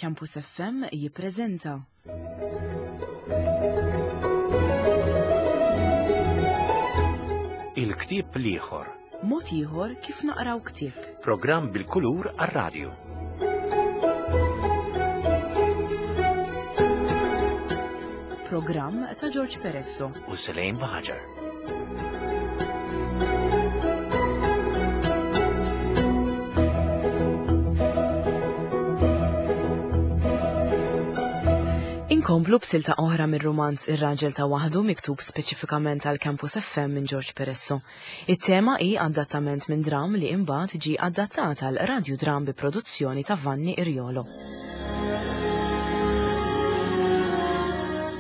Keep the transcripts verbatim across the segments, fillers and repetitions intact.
Campus F M jippreżenta Il-ktieb l-ieħor. Mod ieħor kif naqraw ktieb. Programm bil-kulur għar-radju. Programm ta' George Peresso u Selene Baħaġar. Inkomplu b'silta oħra mir-rumanz Ir-Raġel ta' Waħdu miktub speċifikament għal Campus F M minn George Peresso. It-tema hi adattament minn dram li imbagħad ġie adattat għal radiodram bi produzzjoni ta' Vanni Iriolo.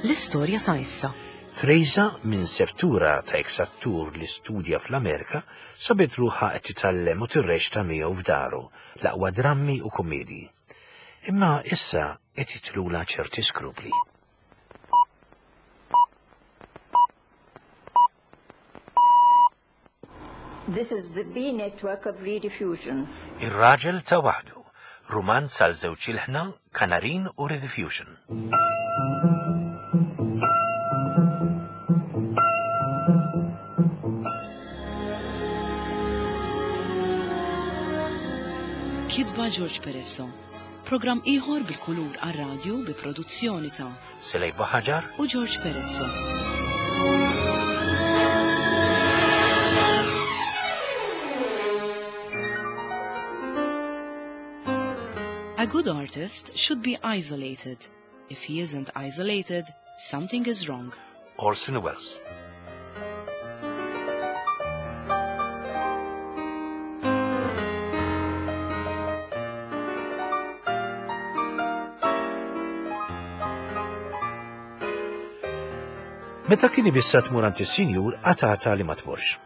L-istorja sa issa. Teresa minn seftura ta' ex-attur li studja fl-Amerika sabet ruħha qed titgħallem u tirreċta miegħu f'daru l-aqwa drammi u kummedji. Imma issa qed jitlula ċerti skrupli. This is the B network of Rediffusion. Ir-raġel ta' waħdu, rumanz għal żewġ ilħna, Kanarin u Rediffusion. Kitba George Peresso. Programm ieħor bil-kulur għar-radju bi produzzjoni ta' Selej Baħaġar u George Peresso. A good artist should be isolated. If he isn't isolated, something is wrong. Orson Welles. Meta kien ibissa tmur għand is-sinjur, qatgħatha li ma tmurx.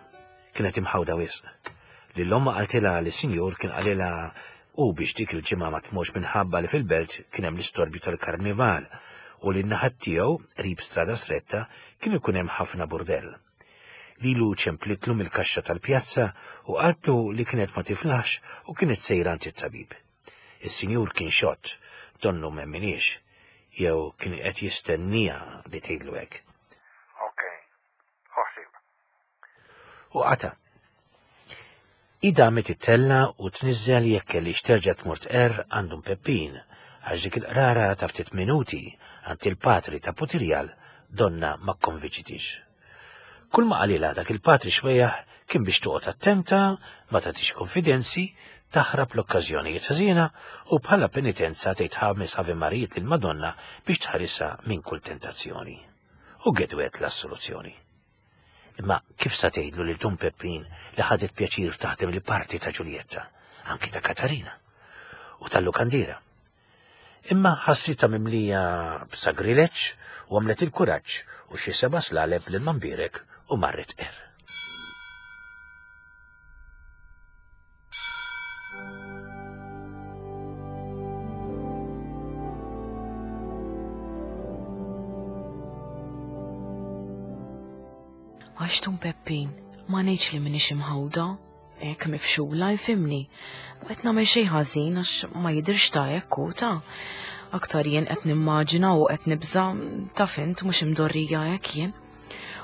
Kienet imħawda wisq. Lil omma qaltilha li s-sinjur kien qalilha u biex dik il-ġimgħa ma tmurx minħabba li fil-belt kien hemm l-istorbju tal-karnival u li n-naħat tiegħu qrib strada stretta kien ikun hemm ħafna burdell. Lilu ċemplitlu mill-kaxxa tal-pjazza u qaltlu li kienet ma tiflaħx u kienet sejra għand it-tabib. Is-sinjur kien xott, donnu m'emminix, jew kien qed jistennija li tgħidlu hekk. U qata. Ida met ittella u tniżżel jekk kellix terġa' tmur tqerr għandhom Peppin, għax dik il-qrara ta' ftit minuti għand il-patri ta' Putirjal donna ma kkonvinċitix. Kull ma qalilha dak il-patri xwejjaħ kien biex toqgħod attenta, ma tagħtix konfidenzi, taħrab l-okkażjonijiet ħażina u bħala penitenza tgħid ħames Ave Marijiet lill-Madonna biex tħarisha minn kull tentazzjoni. U gedwet l-assoluzzjoni. Imma kif sa tgħidlu lil Dun Peppin li ħadet pjaċir taħdem li parti ta' Ġuljetta, anki ta' Katarina u tal-Lukandira. Imma ħassitha mimlija b'sagrileġġ u għamlet il-kuraġġ u xi seba' slaleb lil Mambirek u marret er. Għax Dun Peppin, ma ngħidx li m'iniex imħawda, hekk mifxula jfimni. U qed nagħmel xejn ħażin għax ma jidhirx ta' hekk hu ta' aktar jien qed nimmaġina u qed nibża' taf int mhux imdorrija hekk jien.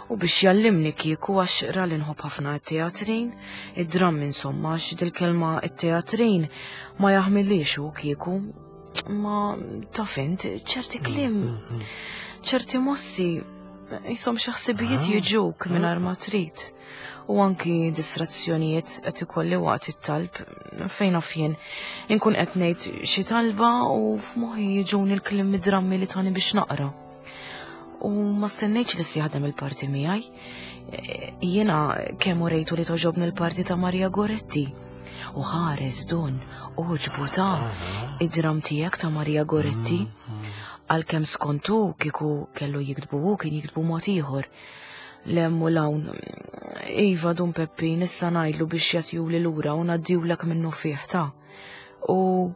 U biex jallimni kieku għax ra li nħobb ħafna t-teatrin, id-dramm insomma għax dil-kelma t-teatrin ma jaħmilix hu kieku. Ma taf int ċerti kliem, ċerti mossi jisom xi ħsibijiet Ah. jiġuk mingħajr ma trid. U anki distrazzjonijiet qed ikolli waqt it-talb fejn naf jien inkun qed ngħid xi talba u f'moħħi jiġuni l-kliem mid-drammi li tani biex naqra. U ma stennejtx li se jaħdem il-parti miegħi. E, jiena kemm urejtu li toġobni l-parti ta' Maria Goretti. U ħares dun, uġbu ta' id-dram tiegħek ta' Maria Goretti. Għalkemm skontu kieku kellu jiktbu hu kien jiktbu mod ieħor. Lemm u lawn, iva Dun Peppin, issa ngħidlu biex jagħtijuli lura u ngħaddijulek minnu fih ta'. U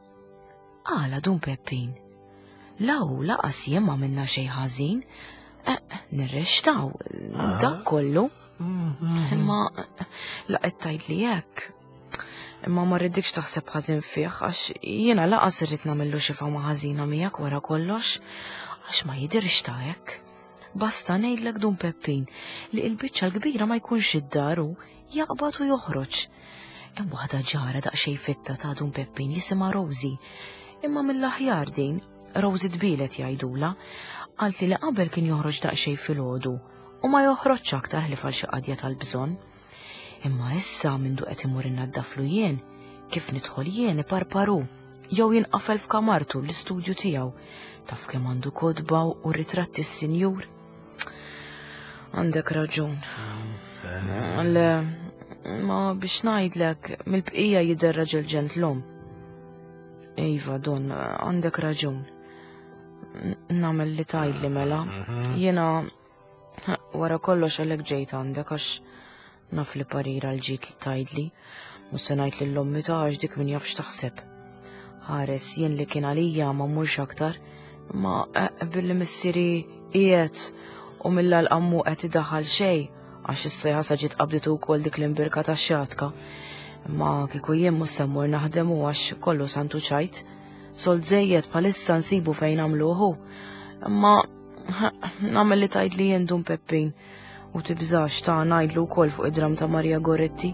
għala Dun Peppin, law laqas jien ma minna xejn ħażin, eh, nirrextaw, Ah. dak kollu. Mm-hmm. Imma laqgħet tgħidli hekk. Imma ma rridikx taħseb ħażin fih għax jiena laqas irrid nagħmillu xi fama ħażina miegħek wara kollox, għax ma jidirx ta' hekk. Basta ngħidlek Dun Peppin li l-biċċa l-kbira ma jkunx id-dar hu, jaqbad u joħroġ. Hemm waħda ġara daqsxejn fitta ta' Dun Peppin jisimha Rosie. Imma mill-aħjar din, Rosie tbielet jgħidula, qaltli li qabel kien joħroġ daqsxejn filgħodu u ma joħroġx aktar ħlief għal xi qadja tal-bżonn. Imma issa mindu qed imur innaddaflu jien, kif nidħol jien iparparu, jew jinqafel f'kamartu l-istudju tiegħu. Taf kemm għandu kotba u ritratti s-sinjur? Għandek raġun. Le, ma biex ngħidlek, mill-bqija jidher raġel ġentlom. Iva, Don, għandek raġun. Nagħmel li tgħidli mela. Jiena wara kollox għalhekk ġejt għandek għax naf li parira l-ġid li tgħidli. Mhux se ngħid lil ommi ta' għax dik min jaf x'taħseb. Ħares jien li kien għalija ma mmurx aktar, ma billi missieri qiegħed u mill-għalqa mhu qed idaħħal xejn għax issa jħassa ġiet qabditu wkoll dik l-imbirka tax-xatka. Imma kieku jien mhux se mmur naħdem u għax kollu santu ċajt. Sold żejjed bħalissa nsibu fejn nagħmluhu. Imma nagħmel li tgħidli jien Dun Peppin u tibżax ta' ngħidlu wkoll fuq id-dram ta' Maria Goretti.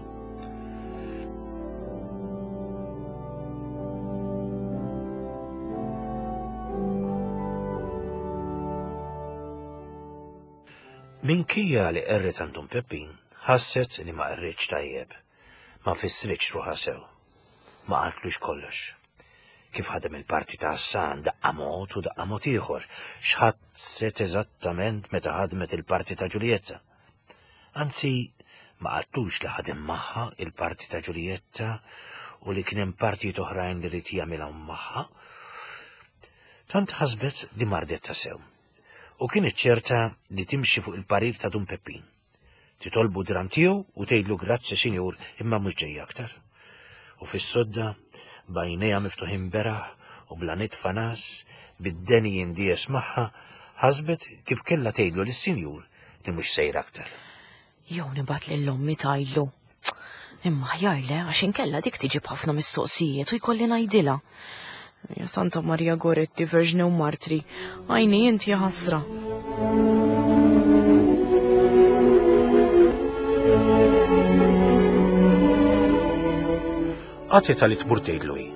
Minkejja li qerret għand Dun Peppin, ħasset li ma qerritx tajjeb, ma fissritx ruħha sew, ma qaltlux kollox. Kif ħadem il-parti ta' Hassan daqqa mod u daqqa mod ieħor, x'ħasset eżattament meta ħadmet il-parti ta' Ġulietta. Anzi, ma qaltlux li ħadem magħha il-parti ta' Ġulietta u li kien hemm partijiet oħrajn li rid jagħmilhom magħha. Tant ħasbet li mardet ta' sew. U kienet ċerta li timxi fuq il-parir ta' Dun Peppin. Titolbu dram tiegħu u tgħidlu grazzi sinjur imma mhux ġej aktar. U fis-sodda b'għajnejha miftuħin beraħ u bla nitfa nas, bid-deni jindies magħha, ħasbet kif kellha tgħidlu lis-sinjur li mhux sejra aktar. Jew nibgħat lil ommi tgħidlu. Imma aħjar le, għax inkella dik tiġi b'ħafna mistoqsijiet u jkolli ngħidilha. Ja Santa Maria Goretti, Verġni u Martri, għajni inti ħasra. Għatita li tmur tgħidlu hi,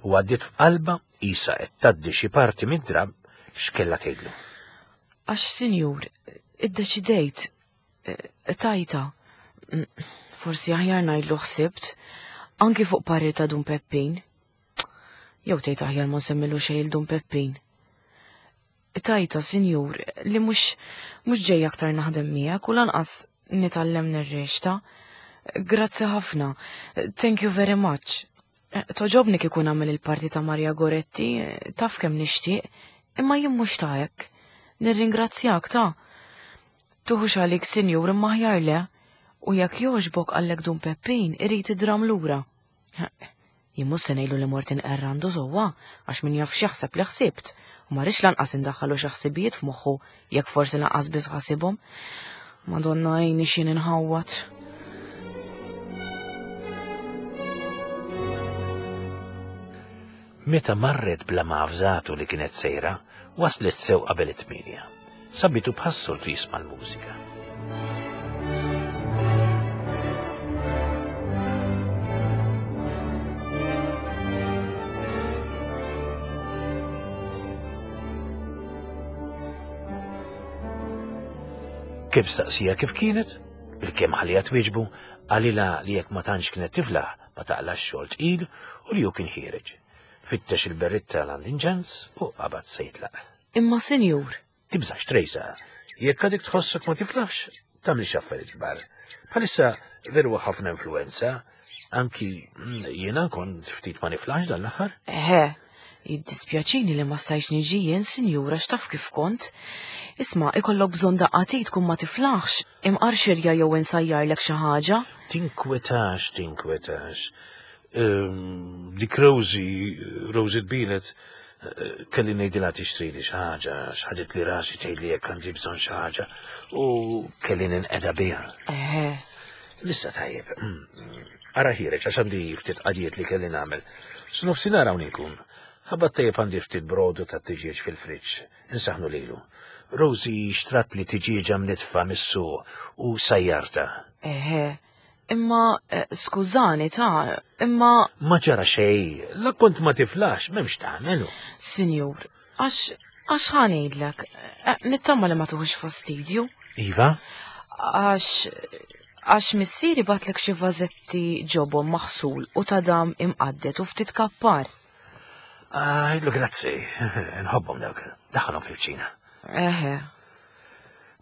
u għaddiet f'qalba isa qed tgħaddi xi parti mid-drab x'kellha tgħidlu. Għax, sinjur, iddeċidejt, tajta, forsi aħjar ngħidlu ħsibt, anki fuq parir ta' Dun Peppin. Jew tgħid aħjar ma nsemmilu xejn il Dun Peppin. Tajta, sinjur, li mhux, mhux ġej aktar naħdem miegħek u lanqas nitgħallem nirrexta. Grazzi ħafna. Thank you very much. Toġobni kieku nagħmel il-parti ta' Maria Goretti, taf kemm nixtieq, imma jien mhux ta' hekk. Nirringrazzjak ta'. Tuħux għalik, sinjur, imma aħjar le. U jekk jogħġbok għallek Dun Peppin, irid id-dram lura. Jien mhux se ngħidlu li mort inqerr għandu sewwa, għax min jaf x'jaħseb li ħsibt, u ma rridx lanqas indaħħalu xi ħsibijiet f'moħħu jekk forsi lanqas biss ħasibhom. Madonna għajni x'jien inħawwad. Meta marret bla ma avżatu li kienet sejra, waslet sew qabel it-tmienja. Sabitu bħas-soltu jisma' l-mużika. Kif staqsija kif kienet? Bil-kemm ħalija twieġbu, qalilha li jekk ma tantx kienet tiflaħ ma taqlax xogħol tqil u li hu kien ħiereġ. Fittex il-berritta l-għandinġans u qabad se jitlaq. Imma sinjur. Tibżax Trejsa, jekk għadek tħossok ma tiflaħx, tagħmilx affarijiet kbar. Bħalissa veru ħafna influenza, anki jiena kont ftit ma niflaħx dan l-aħħar. Eħe, jiddispjaċini li ma stajtx niġi jien, sinjura, x'taf kif kont. Isma', ikollok bżonn daqqatit tkun ma tiflaħx, imqar xirja jew insajjarlek xi ħaġa. Tinkwetax, tinkwetax. Ehm, dik Rosie, Rosie tbilet, eh, kelli ngħidilha tixtrili xi ħaġa, x'ħadet li rasi tgħidli jekk għandi bżonn xi ħaġa, u kelli ninqeda biha. Eħe. Issa tajjeb, mm, Ara ħireġ għax għandi ftit qadijiet li kelli nagħmel. S'nofsinhar hawn inkun. Ħabba tajjeb għandi ftit brodu ta' tiġieġ fil-friġġ. Insaħnu lilu. Rosie xtrat li tiġieġa mnitfa mis-suq u sajjarta. Eħe, imma eh, skużani ta' imma Ma ġara xejn, la kont ma tiflax, m'hemmx tagħmelu. Sinjur, għax għax ħa ngħidlek, eh, nittama li ma tuħux fastidju. Iva? Għax għax missieri batlek xi vażetti ġobon maħsul u ta' dam imqaddet u ftit kappar. Għidlu grazzi, nħobbhom dawk, daħħalhom fil-ċina. Eħe,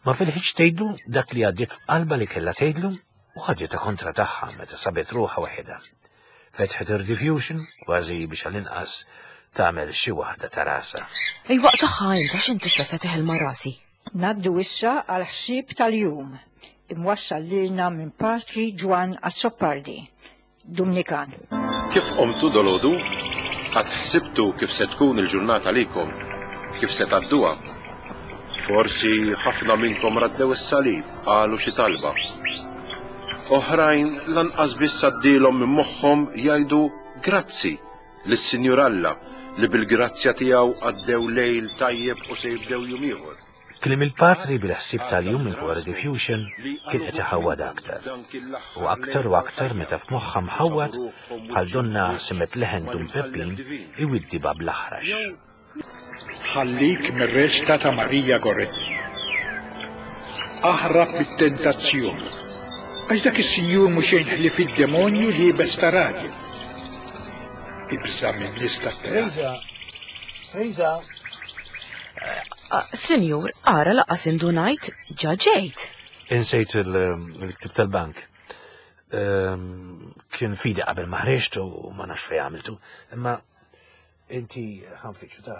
Ma fil-ħiġ tgħidlu dak li għaddiet f'qalba li kellha tgħidlu u ħaditha kontra tagħha meta sabet ruħha waħedha. Fetħet ir-diffusion kważi biex għall-inqas tagħmel xi waħda ta' rasha. Ej waqt int għax inti issa se teħel ma' rasi. Naddu issa għal ħsieb tal-jum, imwassal lilna minn Patri Ġwann Azzopardi, Dumnikan. Kif qomtu dolodu? Qatt ħsibtu kif se tkun il-ġurnata likom? Kif se tgħadduha? Forsi ħafna minnkom raddew is-salib, qalu xi talba. Oħrajn lanqas biss għaddielhom minn moħħhom jgħidu grazzi lis-Sinjur Alla li bil-grazzja tiegħu għaddew lejl tajjeb u se jibdew jum ieħor. Kliem il-patri bil-ħsieb tal-jum minn fuq diffusion kien qed iħawwad aktar. U aktar u aktar meta f'moħħha mħawwad bħal donna semet leħen Dun Peppin iwiddiba bl-aħrax. Ħallik mir-reċta ta' Marija Goretti. Aħrab mit-tentazzjoni. Għax dak is-sinjur mhux xejn ħlief id-demonju liebes ta' raġel. Ibża' minn nies tat-teatru. Teresa! Ah, Sinjur, ara lanqas indunajt, ġa ġejt. Insejt il-ktib tal-bank. Ehm, Kien fidi qabel ma ħriġt u ma nafx fejn għamiltu. Imma inti ħa nfittxu ta'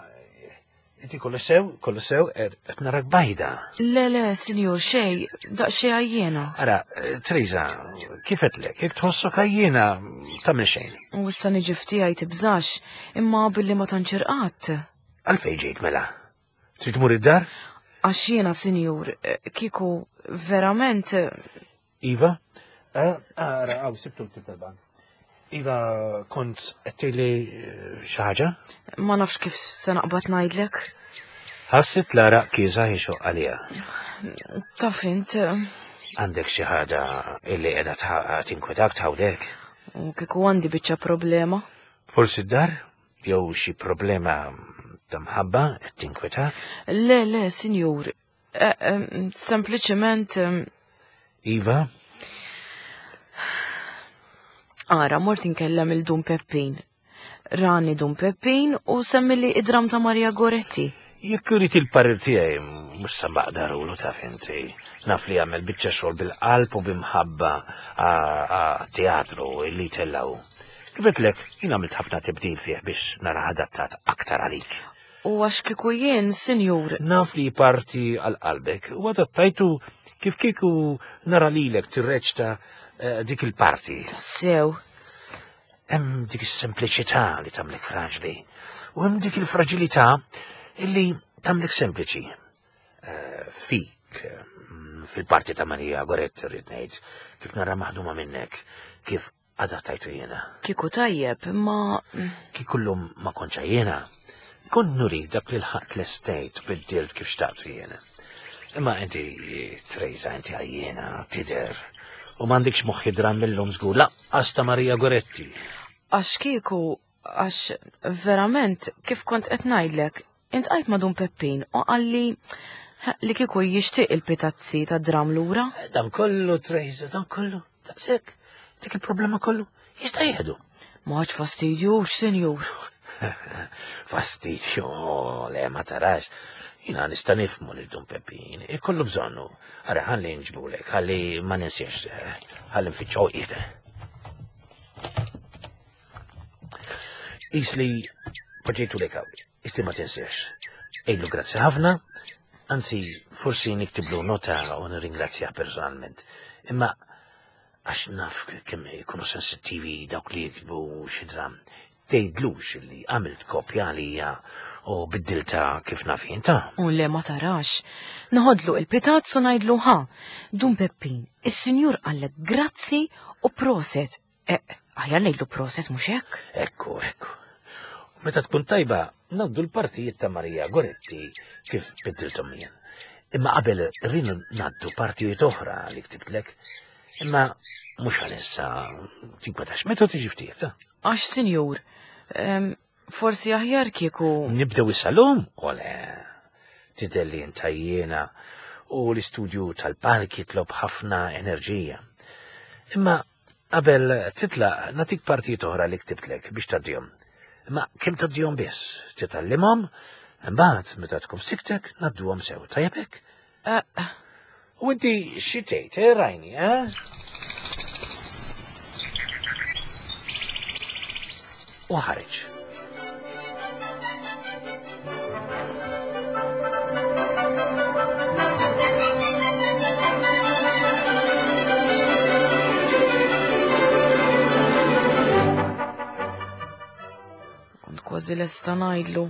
inti kollu sew, kollu sew, qed narak bajda. Le, le, sinjur, xej, daqsxejn għajjena. Ara, Teresa, kif għedtlek, jekk tħossok għajjena tagħmel xejn. U issa niġi ftiegħi tibżax, imma billi ma tantx irqadt. Għalfejn ġejt mela? Trid tmur id-dar? Għax jiena, sinjur, eh, kieku verament eh, Iva? Eh, Ara, għaw, sibtu l-ktib tal-bank. Iva, kont qed tgħidli xi ħaġa? ma nafx kif se naqbad ngħidlek. Ħassit l-għaraq kiesaħ ixoqq għaliha. Taf int, eh, Għandek xi ħaġa illi qiegħda tħ- tinkwetak tħawdek. u kieku għandi biċċa problema. Forsi d-dar jew xi problema ta' mħabba qed tinkwetak? Le, le, sinjur, eh, eh, sempliċement eh, Iva, Ara, mort inkellem il-Dun Peppin. Rani Dun Peppin u semmili id-dram ta' Maria Goretti. jekk irid il-parir tiegħi mhux sa baqdarulu taf inti. Naf li jagħmel biċċa xogħol bil-qalb u bimħabba għat-teatru illi tellaw. Kif għedtlek, jien għamilt ħafna tibdil fih biex nara adattat aktar għalik. U għax kieku jien, sinjur, Naf li parti għal qalbek u adattajtu kif kieku nara lilek tirreċta eh, dik il-parti. sew, Hemm dik is-sempliċità li tagħmlek fraġli u hemm dik il-fraġilità illi tagħmlek sempliċi. Eh, Fik, mm, fil-parti ta' Maria Goretti rrid ngħid, kif nara maħduma minnek, kif adattajtu jiena. kieku tajjeb, imma Kieku llum ma kontx jiena, kont nuri dak li l-ħadd l-estate u biddilt kif xtaqtu jiena. Imma inti, Teresa, inti għajjena, tidher, u m'għandikx moħħi dram millum żgur, lanqas ta' Maria Goretti. għax kieku, għax verament, kif kont qed ngħidlek, iltqajt ma' Dun Peppin u qalli li kieku jixtieq il-pitazzi ta' dram lura. Dan kollu, Teresa, dan kollu, daqshekk, dik il-problema kollu, jista' jieħdu. Ma ħadx fastidju, sinjur. Fastidju, le, ma tarax. Jina nista' nifhmu lil Dun Peppin, ikollu bżonnu. Ara, ħalli nġibulek, ħalli ma ninsiex, eh, ħalli nfittxu qiegħda. Isli poġġejtu lek hawn, isli ma tinsiex. Ejlu grazzi ħafna, anzi, forsi niktiblu nota u nirringrazzjah personalment. Imma għax naf kemm ikunu sensittivi dawk li jiktbu xi dram. Tgħidlux li għamilt kopja għalija u biddilta kif naf jien ta' U le ma tarax. Noħodlu il-pitazz u ngħidlu ħa. Dun Peppin, is-sinjur qallek grazzi u proset. Aħjar ngħidlu proset mhux hekk? Ekku, ekku. U meta tkun tajba, ngħaddu l-partijiet ta' Maria Goretti kif biddilthom jien. Imma qabel rridu ngħaddu partijiet oħra li ktibtlek. Imma mhux għalissa tinkwetax meta tiġi ftit. Għax, sinjur, forsi aħjar kieku. Nibdew is-salum? Ole, tidher li intajjena u l-istudju tal-palk jitlob ħafna enerġija. Imma qabel titlaq nagħtik partijiet oħra li ktibtlek biex tgħaddihom. Imma kemm tgħaddihom biss, titgħallimhom, imbagħad meta tkun f'siktek ngħadduhom sew, tajjeb hekk? U inti xi tgħid, eh, Rajni, eh? U ħareġ. Kont kważi lesta ngħidlu,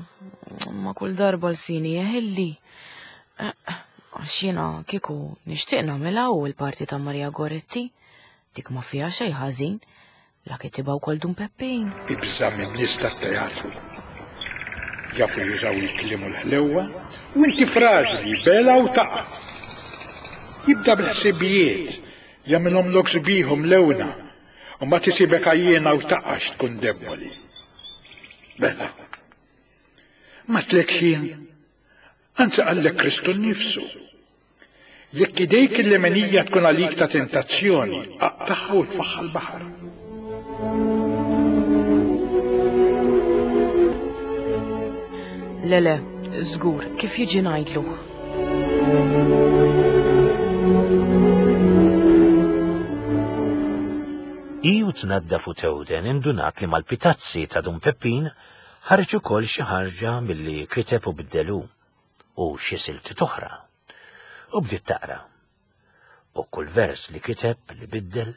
ma kull darba l-sini jeħilli. Għax jiena kieku nixtieq nagħmilha u l-parti ta' Maria Goretti, dik ma fiha xejn ħażin, la kitibha wkoll Dun Peppin. Ibża' minn nies tat-teatru. Jafu jużaw il-kliem u l-ħlewwa u inti frażli bela u taqa'. Jibda bil-ħsibijiet, jagħmilhom lok sbieħ lewna, u ma tisibek għajjiena u taqax tkun deboli. Bela. Ma tlek jien, anzi qallek Kristu nnifsu. Jekk idejk il-lemenija tkun għalik ta' tentazzjoni, aqtaħħa u tfaħħa l-baħar. Le, le, żgur, kif jiġi ngħidlu. Iju tnaddaf u tewden indunat li mal-pitazzi ta' Dun Peppin ħareġ ukoll xi ħarġa milli kiteb u biddelu u xi silti oħra. U bdiet taqra. U kull vers li kiteb li biddel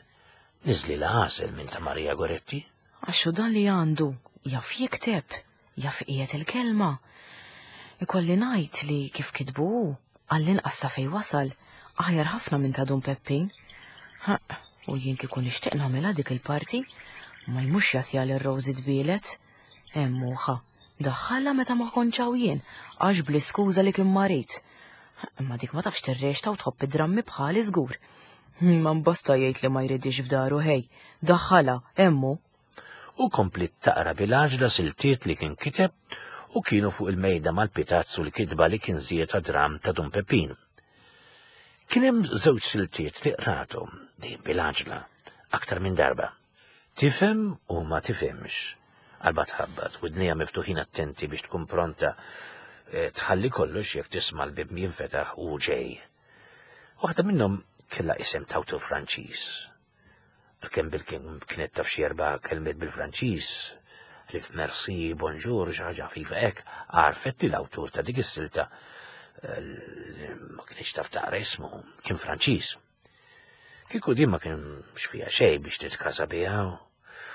niżli l-għasel minn ta' Maria Goretti. Għaxu dan li għandu jaf jikteb, jaf qiegħed il-kelma. Ikolli ngħid li kif kitbu hu, għall-inqas sa fejn wasal, aħjar ħafna minn ta' Dun Peppin. Ha, u jien kieku nixtieq nagħmilha dik il-parti, ma jmux jagħtiha lil Rosie tbielet. Hemm ħa, daħħalha meta ma kontx hawn jien, għax bl-iskuża li kien marid. Imma dik ma tafx tirrexta u tħobb id-drammi bħali żgur. Ma mbasta jgħid li ma jridix f'daru ħej, daħħalha hemm hu. U komplit taqra bil-għaġla siltiet li kien kiteb u kienu fuq il-mejda mal-pitazzu l-kitba li kien żied dram ta' Dun Peppin. Kien hemm żewġ siltiet li qrathom dejjem bil-għaġla aktar minn darba. Tifhem u ma tifhemx. Qalba tħabbat, widnejha miftuħin attenti biex tkun pronta tħalli kollox jekk tisma' l-bib jinfetaħ u ġej. Waħda minnhom kellha isem tawtu Franċiż. Għalkemm bil-kien kienet taf xi erba' kelmiet bil-Franċiż, ħlief merci, bonjour, xi ħaġa ħafifa hekk, għarfet li l-awtur ta' dik is-silta ma kienx taf taqra ismu, kien Franċiż. Kieku din ma kienx fiha xejn biex titkasa biha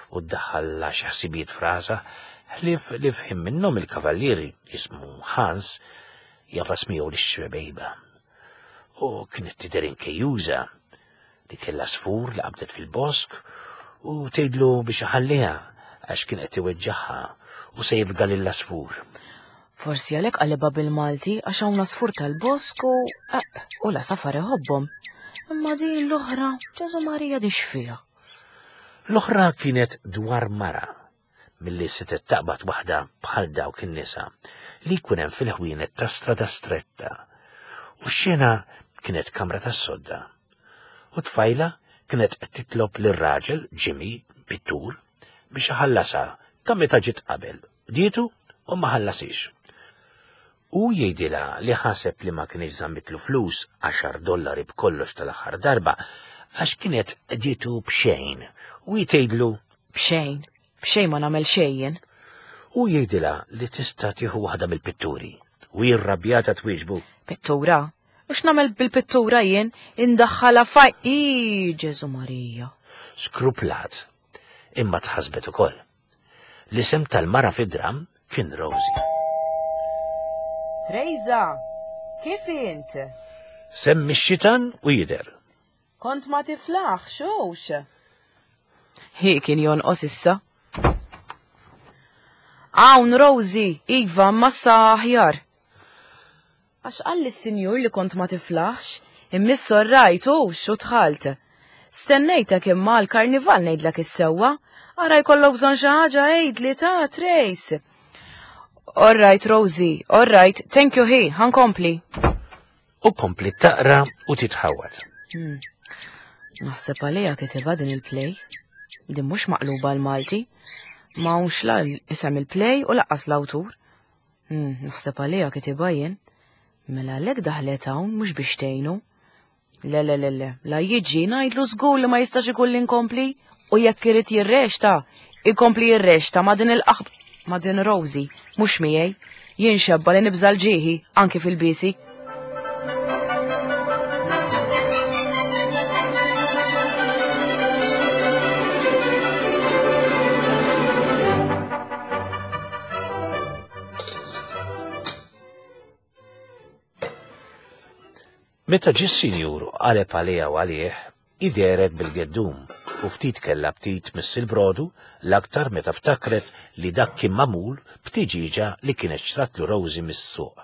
u ddaħħalha xi ħsibijiet frasa, ħlief li fħim minnhom il-kavallieri jismu Hans jafas miegħu lix-xbejba. U kienet tidher inkejjuża li kellha sfur li qabdet fil-bosk u tgħidlu biex iħalliha għax kien qed iweġġaħħa u se jifga lil asfur. Forsi għalhekk qalibha bil-Malti għax hawn asfur tal-bosk u u la safar iħobbhom. Imma din l-oħra, Ġesu Marija di x'fiha. L-oħra kienet dwar mara milli setgħet taqbad waħda bħal dawk in-nisa li jkun hemm fil-ħwienet ta' strada stretta. U x-xena kienet kamra tas-sodda. U tfajla kienet qed titlob lir-raġel Jimmy pittur biex iħallasha ta' meta ġiet qabel. Dietu u ma ħallasix. U jgħidilha li ħaseb li ma kienx żammitlu flus għaxar dollari b'kollox tal-aħħar darba għax kienet dietu b'xejn. U jgħidlu b'xejn, b'xejn ma nagħmel xejn. U jgħidilha li tista' tieħu waħda mill-pitturi. U jirrabjata twieġbu. Pittura? U x'nagħmel bil-pittura jien? Indaħħalha faj. Ii, Ġesu Marija. Skruplat, imma tħasbet ukoll. L-isem tal-mara fid-dram kien Rosie. Trejza, kif int? Semmi x-xitan u jidher. Kont ma tiflaħ, xux. Hi kien jonqos issa. Hawn Rosie, iva, massa aħjar. Għax qalli s-sinjur li kont ma tiflaħx, imma rajt u xu dħalt. Stennejtek imma l-karnival ngħidlek is-sewwa, ara jkollok bżonn xi ħaġa għidli ta' Trace. All right, Rosie, all right, thank you hi, ħa nkompli. U kompli taqra u titħawat. Hmm. Naħseb għalija kitibha din il-play. Din mhux maqluba l-Malti. Ma hawnx la isem il-play u lanqas l-awtur. Hmm, naħseb għalija kitibha jien. Mela għalhekk daħlet hawn mhux biex tgħinu. Le, le, le, le, la jiġi ngħidlu żgur li ma jistax ikun li nkompli u jekk irid jirreċta, ikompli jirreċta ma' din il-qaħb ma' din Rosie, mhux miegħi. Jien xebba li nibżal ġieħi anki fil-bisi. Meta ġie s-sinjur qaleb għaliha u għalih, ideret bil-geddum u ftit kellha ftit miss il-brodu l-aktar meta ftakret li dak kien magħmul b'tiġiġa li kienet xtratlu Rosie mis-suq.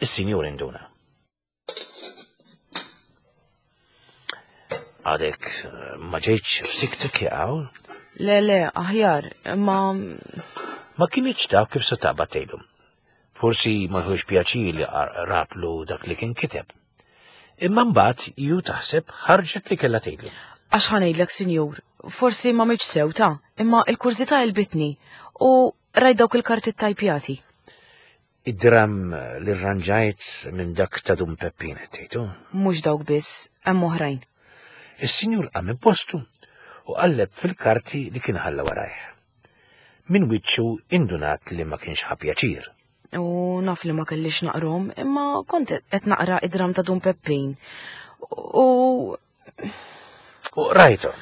Is-sinjur induna. Għadek ma ġejtx f'siktek jaqaw? Le, le, aħjar, ma... Ma kinitx taf kif se taqbad tgħidu. Forsi ma ħux pjaċir li ratlu dak li kien kiteb. Imma mbagħad ju taħseb ħarġet li kellha tgħidlu. Għax ħa ngħidlek, sinjur, forsi ma miċ sew ta' imma il-kurżità għelbitni u rajt dawk il-karti tajpjati. Id-dram li rranġajt minn dak ta' Dun Peppin qed tgħidu. Mhux dawk biss, hemm oħrajn. Is-sinjur qam minn postu u qalleb fil-karti li kien ħalla warajh. Min wiċċu indunat li ma kienx ħa pjaċir. U naf li ma kellix naqrom, imma kont qed naqra id-dram ta' Dun Peppin. U U rajthom.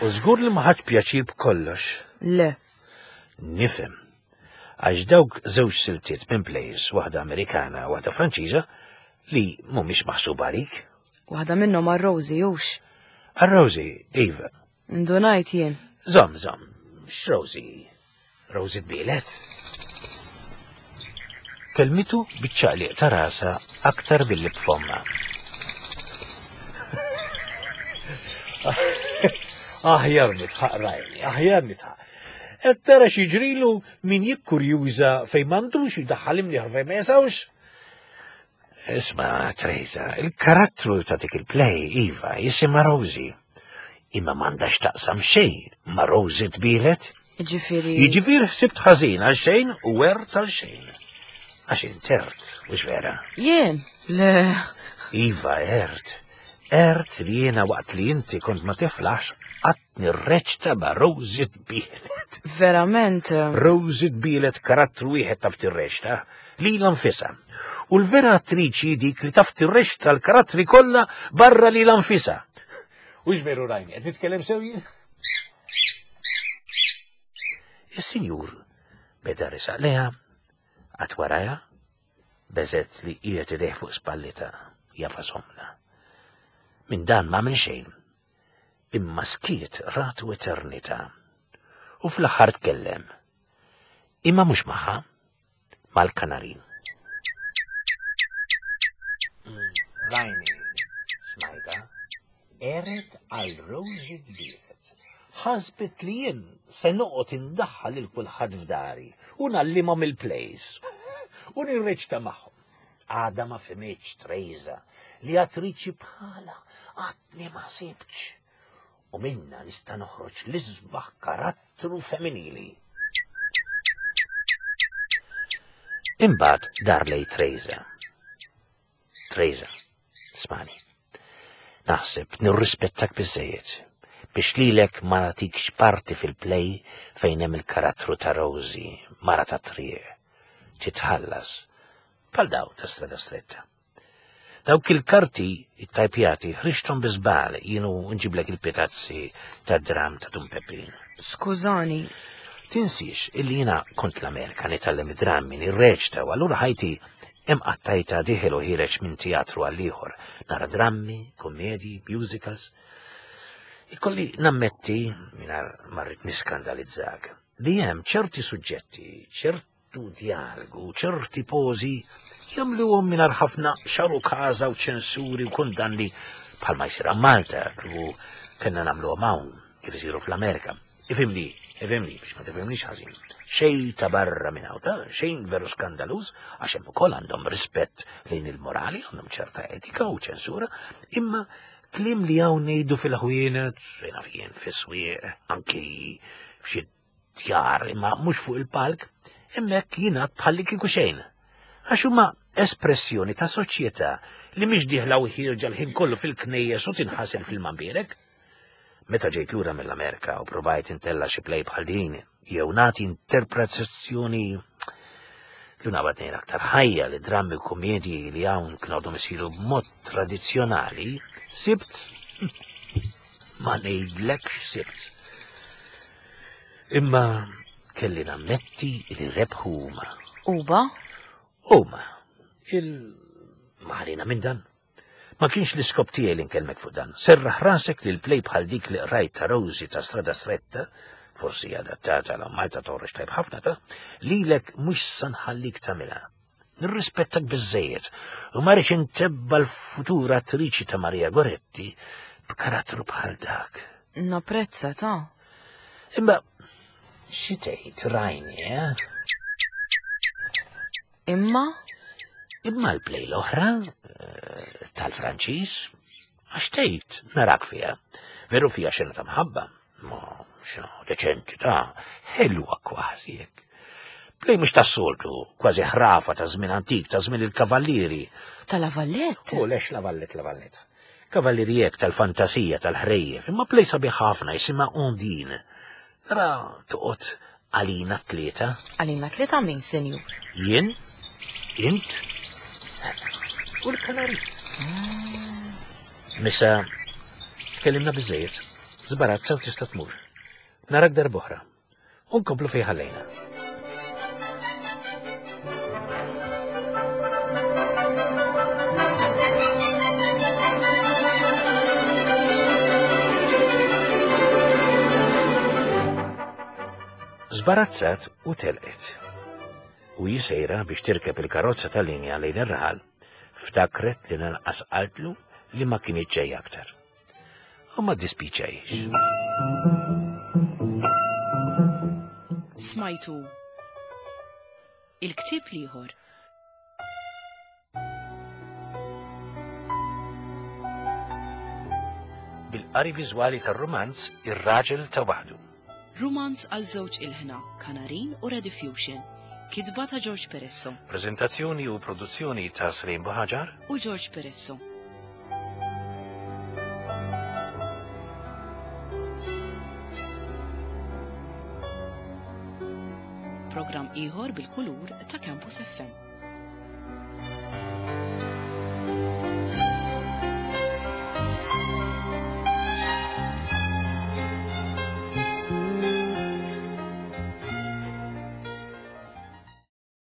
U żgur li ma ħadx pjaċir b'kollox. Le. Nifhem. Għax dawk żewġ siltiet minn plays, waħda Amerikana u waħda Franċiża, li mhumiex maħsuba għalik. Waħda minnhom għal Rosie hux. Għal Rosie, iva. Indunajt jien. Żomm, żomm, x'Rosie? Rosie tbielet? Kelmitu biċ-ċaqliq ta' rasa aktar billi b'fomma. Aħjar nitħaq rajni, aħjar nitħaq. Qed tara x'jiġrilu min jikkurjuża fejn m'għandux jidaħħal imnieħ fejn ma jesawx. Isma', Teresa, il-karattru ta' dik il-play, iva, jisimha Rosie. Imma m'għandax taqsam xejn ma' Rosie tbielet. Jiġifieri. Jiġifieri ħsibt ħażin għal xejn u għert għal xejn. Għax intert, mhux vera? Jien? Le. Iva, għert. Għert li jiena waqt li inti kont ma tiflax qatt nirreċta ma' Rosie tbielet. Verament. Rosie tbielet karattru wieħed taf tirreċta, lilha nfisha. U l-vera attriċi dik li taf tirreċta l-karattri kollha barra lilha nfisha. Ux veru rajni, qed nitkellem sew jien? Is-sinjur beda resaq leha, qatt warajha, beżet li qiegħed idejh fuq spallita, jafa somna. Min dan ma minn xejn, imma skiet ratu eternità. U fl-aħħar tkellem. Imma mhux magħha, mal-kanarin. Rajni, smajta, eret għal Rosie tbielet. Ħasbet li jien se noqgħod indaħħal lil kulħadd f'dari u nallimhom il-plays u nirreċta magħhom. Għada ma fhimitx Teresa li attriċi bħala għadni ma sibtx. U minna nista' noħroġ l-isbaħ karattru femminili. Imbagħad dar lej Teresa. Teresa, smani. Naħseb nirrispettak biżejjed biex lilek ma nagħtikx parti fil-play fejn hemm il-karattru ta' Rosie, mara ta' triq. Titħallas bħal daw ta' strada stretta. Dawk il-karti it-tajpjati ħriġthom bi żball jienu nġiblek il-pitazzi ta' dram ta' Dun Peppin. Skużani. Tinsiex illi jiena kont l-Amerika nitgħallem id-drammi nirreċta u allura ħajti hemm qattajta dieħel u ħiereġ minn teatru għal ieħor. Nara drammi, kommedji, musicals. Ikolli nammetti, mingħajr ma rrid niskandalizzak, li hemm ċerti suġġetti, ċertu dialogu, ċerti pożi jagħmluhom mingħajr ħafna xaru każa u ċensuri u kundanni bħalma jsir Malta, kieku kellna nagħmluhom hawn, kif isiru fl-Amerika. Ifhimni, ifhimni, biex ma tifhimnix ħażin. Xejn ta' barra minn hawn ta' xejn veru skandaluż, għax hemm ukoll għandhom rispett lejn il-morali, għandhom ċerta etika u ċensura, imma kliem li hawn ngħidu fil-ħwienet, fejn naf jien fis-swieq, anki f'xi djar, imma mhux fuq il-palk, hemmhekk jingħad bħalli kieku xejn. Għax huma espressjoni ta' soċjetà li mhix dieħla u ħierġa l-ħin kollu fil-knejjes u tinħasel fil-mambierek. Meta ġejt lura mill-Amerika u provajt intella xi play bħal din, jew nagħti interpretazzjoni li nabad ngħid aktar ħajja li drammi u komedji li hawn kienu għadhom isiru b'mod tradizzjonali, sibt ma ngħidlekx sibt. Imma kelli nammetti li rebħu huma. Uba? Huma. Il-maħrina minn dan. Ma kienx l-iskop tiegħi li nkellmek fuq dan. Serraħ rasek li l-play bħal dik li qrajt ta' Rosie ta' Strada Stretta, forsi adattata la Malta toħroġ tajb ħafna ta' lilek mhux sa nħallik tagħmilha. Nirrispettak biżżejjed u ma rridx intebba l-futura attriċi ta' Maria Goretti b'karattru bħal dak. Napprezza ta'. Imma xi tgħid rajni, eh? Imma? Imma l-play l-oħra eh, tal-Franċiż, għax tgħid narak fiha. Veru fiha xena ta' mħabba, ma xena deċenti ta' ħelwa kważi hekk. Play mhux tas-soltu, kważi ħrafa ta' żmien antik, ta' żmien il-kavallieri. Ta' La Vallette? U lex La Vallette, La Vallette. Kavallieri hekk tal-fantasija, tal-ħrejjef, imma play sabiħ ħafna jisimha Ondine. Tara toqgħod għalina tlieta. Għalina tlieta min, senjur? Jien, int, u l-kanari. Misa, tkellimna biżżejjed, żbarazza u tista' tmur. Narak darb'oħra. U nkomplu fejn ħallejna. Żbarazzat u telqet. U jisejra biex tirkeb il-karozza tal-linja lejn ir-raħal, ftakret li lanqas qaltlu li ma kienx ġej aktar. U ma dispiċajx. Smajtu il-ktieb l-ieħor. Bil-qari viżwali tar-rumanz Ir-Raġel ta' Waħdu. Rumanz għal żewġ ilħna, Kanarin u Rediffusion. Kitba ta' George Peresso. Prezentazzjoni u produzzjoni ta' Slim Buhaġar u George Peresso. Program ieħor bil-kulur ta' Campus F M.